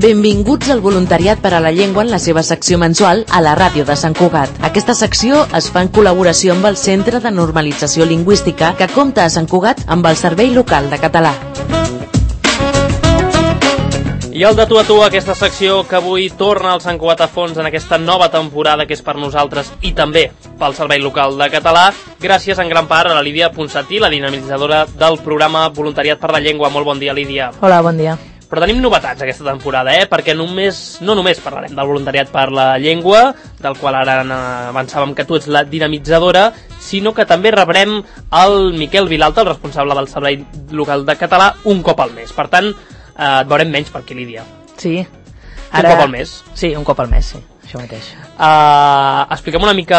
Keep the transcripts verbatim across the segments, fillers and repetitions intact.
Benvinguts al Voluntariat per a la Llengua en la seva secció mensual a la ràdio de Sant Cugat. Aquesta secció es fa en col·laboració amb el Centre de Normalització Lingüística que compta a Sant Cugat amb el Servei Local de Català. I el de tu a tu, aquesta secció que avui torna al Sant Cugat a fons en aquesta nova temporada que és per nosaltres i també pel Servei Local de Català, gràcies en gran part a la Lídia Ponsatí, la dinamitzadora del programa Voluntariat per la Llengua. Molt bon dia, Lídia. Hola, bon dia. Però tenim novetats aquesta temporada, eh? Perquè només, no només parlarem del voluntariat per la llengua, del qual ara avançàvem que tu ets la dinamitzadora, sinó que també rebrem el Miquel Vilalta, el responsable del Servei Local de Català, un cop al mes. Per tant, eh, et veurem menys per aquí, Lídia. Sí. Ara... Un cop al mes? Sí, un cop al mes, sí. Això mateix. Uh, expliquem una mica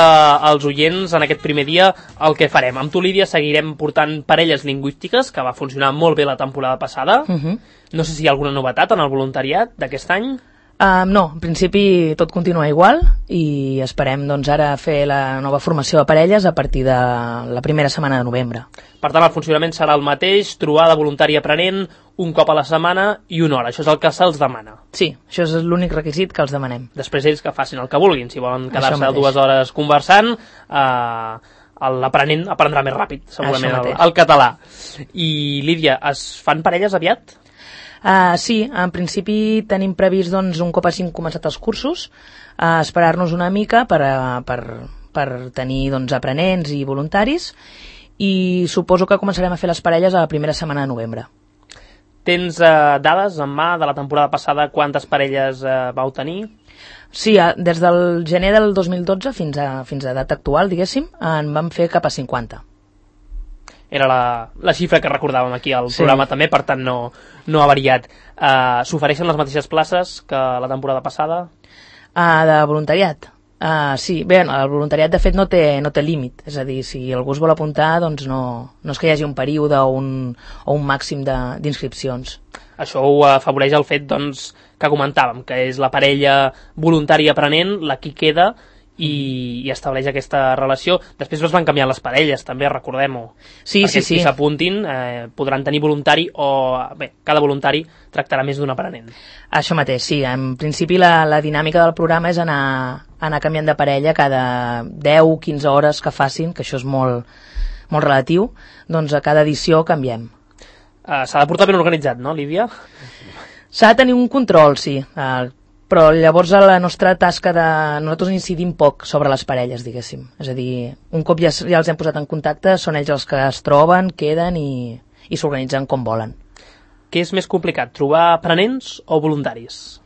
als oients en aquest primer dia el que farem. Amb tu, Lídia, seguirem portant parelles lingüístiques, que va funcionar molt bé la temporada passada. Uh-huh. No sé si hi ha alguna novetat en el voluntariat d'aquest any. Uh, no, en principi tot continua igual i esperem doncs, ara fer la nova formació de parelles a partir de la primera setmana de novembre. Per tant, el funcionament serà el mateix, trobada voluntari aprenent, un cop a la setmana i una hora. Això és el que se'ls demana. Sí, això és l'únic requisit que els demanem. Després ells que facin el que vulguin. Si volen quedar-se dues hores conversant, eh, l'aprenent aprendrà més ràpid, segurament, el, el català. I, Lídia, es fan parelles aviat? Uh, sí, en principi tenim previst doncs, un cop hagin començat els cursos, uh, esperar-nos una mica per, uh, per, per tenir doncs, aprenents i voluntaris, i suposo que començarem a fer les parelles a la primera setmana de novembre. Tens uh, dades en mà de la temporada passada quantes parelles uh, vau tenir? Sí, uh, des del gener del dos mil dotze fins a, fins a data actual, diguéssim, en vam fer cap a cinquanta. Era la, la xifra que recordàvem aquí al sí. programa també, per tant no, no ha variat. Uh, S'ofereixen les mateixes places que la temporada passada? Uh, de voluntariat? Uh, sí, bé, el voluntariat de fet no té, no té límit, és a dir, si algú es vol apuntar, doncs no, no és que hi hagi un període o un, o un màxim d'inscripcions. Això ho afavoreix el fet doncs, que comentàvem, que és la parella voluntària aprenent, la qui queda, i, i estableix aquesta relació. Després es van canviar les parelles, també, recordem-ho. Sí, Perquè sí, sí. qui s'apuntin eh, podran tenir voluntari o... Bé, cada voluntari tractarà més d'un aprenent. Això mateix, sí. En principi la, la dinàmica del programa és anar, anar canviant de parella cada deu o quinze hores que facin, que això és molt, molt relatiu, doncs a cada edició canviem. Uh, S'ha de portar ben organitzat, no, Lídia? S'ha de tenir un control, sí. Uh, però llavors la nostra tasca de... Nosaltres incidim poc sobre les parelles, diguéssim. És a dir, un cop ja, ja els hem posat en contacte, són ells els que es troben, queden i, i s'organitzen com volen. Què és més complicat, trobar aprenents o voluntaris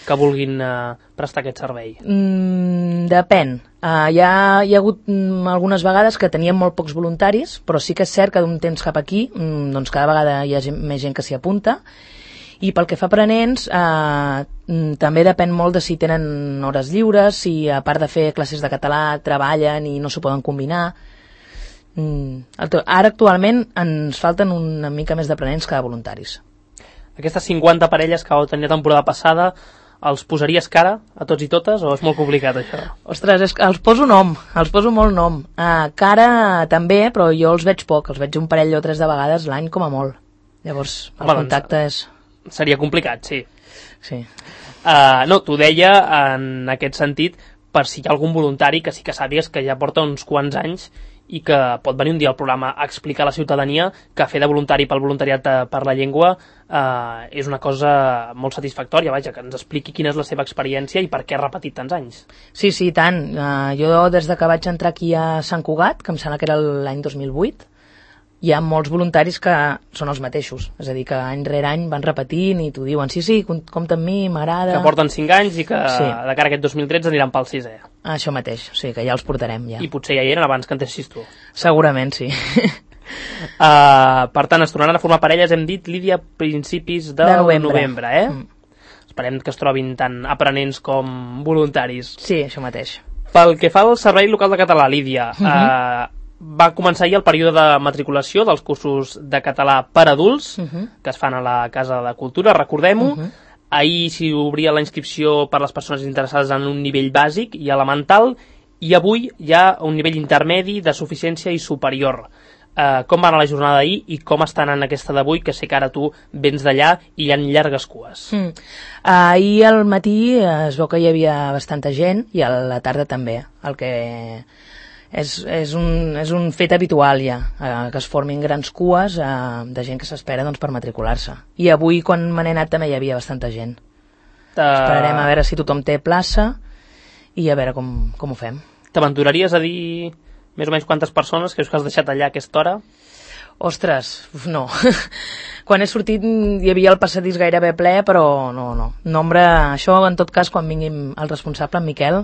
que vulguin uh, prestar aquest servei? Mm, depèn. Uh, hi, ha, hi ha hagut mm, algunes vegades que teníem molt pocs voluntaris, però sí que és cert que d'un temps cap aquí mm, doncs cada vegada hi ha gent, més gent que s'hi apunta. I pel que fa a aprenents, eh, també depèn molt de si tenen hores lliures, si a part de fer classes de català treballen i no s'ho poden combinar. Mm, ara actualment ens falten una mica més d'aprenents que de voluntaris. Aquestes cinquanta parelles que vau tenir la temporada passada, els posaries cara a tots i totes o és molt complicat això? Ostres, és que els poso nom, els poso molt nom. Uh, cara també, però jo els veig poc, els veig un parell o tres de vegades l'any com a molt. Llavors el Home, contacte és... Seria complicat, sí. Sí. Uh, no, t'ho deia en aquest sentit per si hi ha algun voluntari que sí que sàpigues que ja porta uns quants anys i que pot venir un dia al programa a explicar a la ciutadania que fer de voluntari pel voluntariat per la llengua uh, és una cosa molt satisfactòria, vaja, que ens expliqui quina és la seva experiència i per què ha repetit tants anys. Sí, sí, tant. Uh, jo des de que vaig entrar aquí a Sant Cugat, que em sembla que era l'any dos mil vuit, hi ha molts voluntaris que són els mateixos, és a dir, que any rere any van repetint i t'ho diuen, sí, sí, compta amb mi, m'agrada... Que porten cinc anys i que sí. De cara a aquest dos mil tretze aniran pel sisè. Això mateix, o sigui que ja els portarem, ja. I potser ja hi eren abans que entessis tu. Segurament, sí. uh, per tant, es tornaran a formar parelles, hem dit, Lídia, principis de, de novembre. novembre, eh? Mm. Esperem que es trobin tant aprenents com voluntaris. Sí, això mateix. Pel que fa al Servei Local de Català, Lídia, uh -huh. uh, va començar ahir el període de matriculació dels cursos de català per adults, uh -huh. que es fan a la Casa de Cultura, recordem-ho. Uh -huh. Ahir s'hi obria la inscripció per les persones interessades en un nivell bàsic i elemental, i avui hi ha un nivell intermedi de suficiència i superior. eh, com va anar la jornada d'ahir i com està anant aquesta d'avui, que sé que ara tu vens d'allà i hi ha llargues cues. Mm. Ahir al matí es veu que hi havia bastanta gent i a la tarda també, el que és, és, un, és un fet habitual ja, eh, que es formin grans cues eh, de gent que s'espera doncs, per matricular-se. I avui, quan me n'he anat, també hi havia bastanta gent. Uh... Esperarem a veure si tothom té plaça i a veure com, com ho fem. T'aventuraries a dir més o menys quantes persones que us has deixat allà a aquesta hora? Ostres, no. Quan he sortit hi havia el passadís gairebé ple, però no, no. Nombre, això en tot cas, quan vingui el responsable, en Miquel,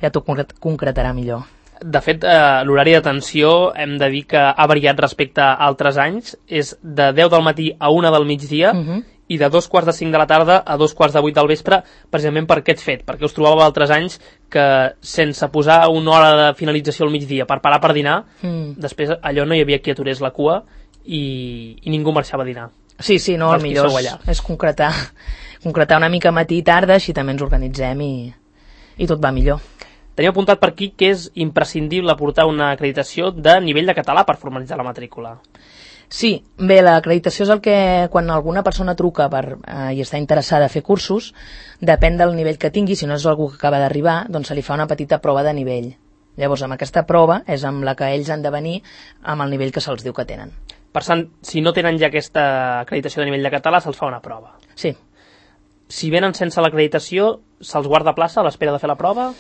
ja t'ho concretarà millor. De fet, eh, l'horari d'atenció hem de dir que ha variat respecte a altres anys. És de deu del matí a una del migdia uh -huh. i de dos quarts de cinc de la tarda a dos quarts de vuit del vespre, precisament per aquest fet, perquè us trobàveu altres anys que sense posar una hora de finalització al migdia per parar per dinar, mm. després allò no hi havia qui aturés la cua i, i ningú marxava a dinar. Sí, sí, no, el millor és, és concretar, concretar una mica matí i tarda, així també ens organitzem i, i tot va millor. Tenim apuntat per aquí que és imprescindible portar una acreditació de nivell de català per formalitzar la matrícula. Sí, bé, l'acreditació és el que quan alguna persona truca per, eh, i està interessada a fer cursos, depèn del nivell que tingui, si no és algú que acaba d'arribar, doncs se li fa una petita prova de nivell. Llavors, amb aquesta prova és amb la que ells han de venir amb el nivell que se'ls diu que tenen. Per tant, si no tenen ja aquesta acreditació de nivell de català, se'ls fa una prova. Sí. Si venen sense l'acreditació, se'ls guarda plaça a l'espera de fer la prova?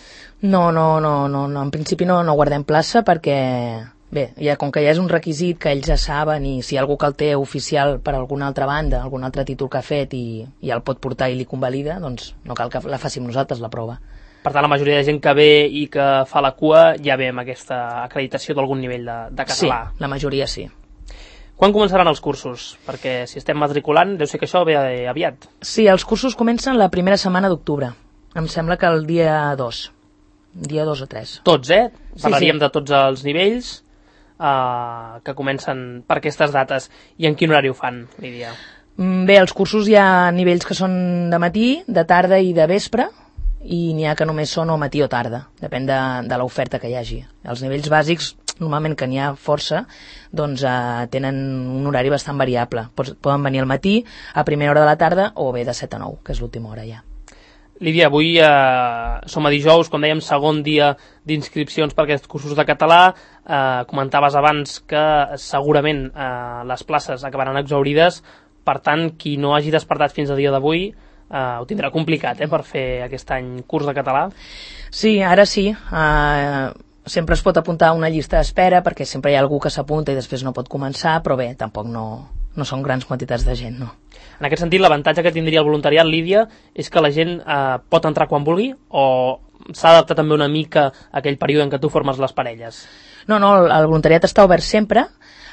No, no, no, no, no. En principi no, no guardem plaça perquè... Bé, ja, com que ja és un requisit que ells ja saben i si hi ha algú que el té oficial per alguna altra banda, algun altre títol que ha fet i, i el pot portar i li convalida, doncs no cal que la facin nosaltres, la prova. Per tant, la majoria de gent que ve i que fa la cua ja ve amb aquesta acreditació d'algun nivell de, de català. Sí, la majoria sí. Quan començaran els cursos? Perquè si estem matriculant, deu ser que això ve aviat. Sí, els cursos comencen la primera setmana d'octubre. Em sembla que el dia dos. Dia dos o tres. Tots, eh? Parlaríem sí, sí. de tots els nivells. Uh, que comencen per aquestes dates. I en quin horari ho fan, Lídia? Bé, els cursos hi ha nivells que són de matí, de tarda i de vespre, i n'hi ha que només són o matí o tarda, depèn de, de l'oferta que hi hagi. Els nivells bàsics, normalment que n'hi ha força, doncs uh, tenen un horari bastant variable. Poden venir al matí, a primera hora de la tarda, o bé de set a nou, que és l'última hora ja. Lídia, avui eh, som a dijous, com dèiem, segon dia d'inscripcions per aquests cursos de català. Eh, comentaves abans que segurament eh, les places acabaran exhaurides, per tant, qui no hagi despertat fins a dia d'avui eh, ho tindrà complicat eh, per fer aquest any curs de català. Sí, ara sí. Uh, sempre es pot apuntar a una llista d'espera perquè sempre hi ha algú que s'apunta i després no pot començar, però bé, tampoc no, no són grans quantitats de gent, no. En aquest sentit, l'avantatge que tindria el voluntariat, Lídia, és que la gent eh, pot entrar quan vulgui o s'ha d'adaptar també una mica a aquell període en què tu formes les parelles? No, no, el voluntariat està obert sempre,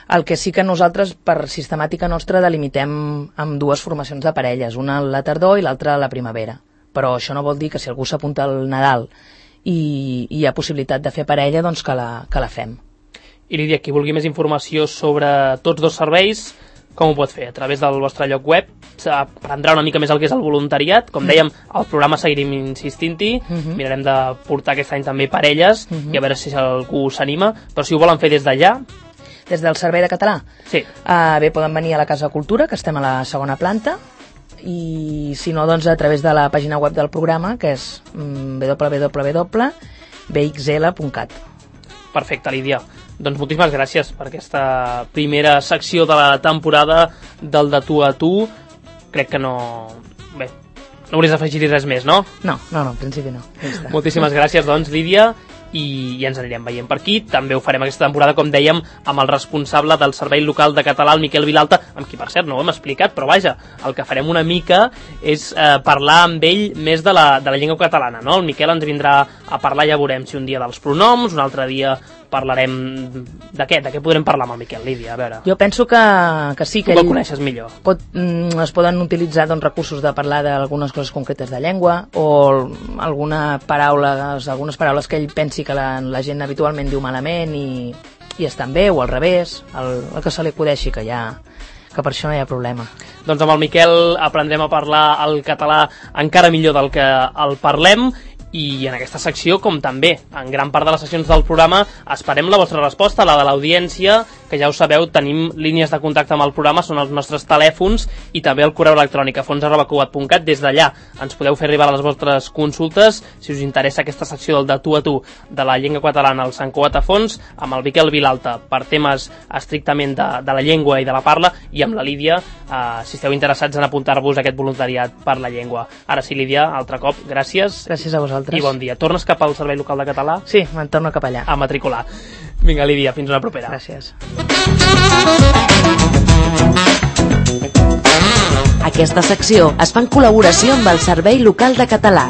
el que sí que nosaltres, per sistemàtica nostra, delimitem amb dues formacions de parelles, una a la tardor i l'altra a la primavera. Però això no vol dir que si algú s'apunta al Nadal i, i hi ha possibilitat de fer parella, doncs que la, que la fem. I Lídia, qui vulgui més informació sobre tots dos serveis, com ho pot fer? A través del vostre lloc web s'aprendrà una mica més el que és el voluntariat. Com dèiem, al programa seguirem insistint-hi, uh-huh. mirarem de portar aquest any també parelles uh-huh. i a veure si algú s'anima, però si ho volen fer des d'allà... Des del Servei de Català? Sí. Uh, bé, poden venir a la Casa de Cultura, que estem a la segona planta, i si no, doncs a través de la pàgina web del programa, que és w w w punt b x l punt cat. Perfecte, Lídia. Doncs moltíssimes gràcies per aquesta primera secció de la temporada del de tu a tu. Crec que no... Bé, no hauries d'afegir-hi res més, no? No, no, no, en principi no. Ja moltíssimes gràcies, doncs, Lídia, i ja ens anirem veient per aquí. També ho farem aquesta temporada, com dèiem, amb el responsable del Servei Local de Català, el Miquel Vilalta, amb qui, per cert, no ho hem explicat, però vaja, el que farem una mica és eh, parlar amb ell més de la, de la llengua catalana, no? El Miquel ens vindrà a parlar, ja veurem si un dia dels pronoms, un altre dia parlarem de què? De què podrem parlar amb el Miquel, Lídia? A veure. Jo penso que, que sí, que tu el coneixes millor. Pot, mm, es poden utilitzar doncs, recursos de parlar d'algunes coses concretes de llengua o alguna paraula, algunes paraules que ell pensi que la, la gent habitualment diu malament i, i estan bé, o al revés, el, el que se li acudeixi, que ja que per això no hi ha problema. Doncs amb el Miquel aprendrem a parlar el català encara millor del que el parlem I en aquesta secció, com també en gran part de les sessions del programa, esperem la vostra resposta, la de l'audiència, que ja ho sabeu, tenim línies de contacte amb el programa, són els nostres telèfons i també el correu electrònic a fons arroba cugat punt cat. Des d'allà ens podeu fer arribar les vostres consultes si us interessa aquesta secció del de tu a tu de la llengua catalana al Sant Cugat a Fons, amb el Miquel Vilalta per temes estrictament de, de la llengua i de la parla, i amb la Lídia eh, si esteu interessats en apuntar-vos a aquest voluntariat per la llengua. Ara sí, Lídia, altre cop, gràcies. Gràcies a vosaltres. I bon dia. Tornes cap al Servei Local de Català? Sí, me'n torno cap allà. A matricular. Vinga, Lídia, fins una propera. Gràcies. Aquesta secció es fa en col·laboració amb el Servei Local de Català.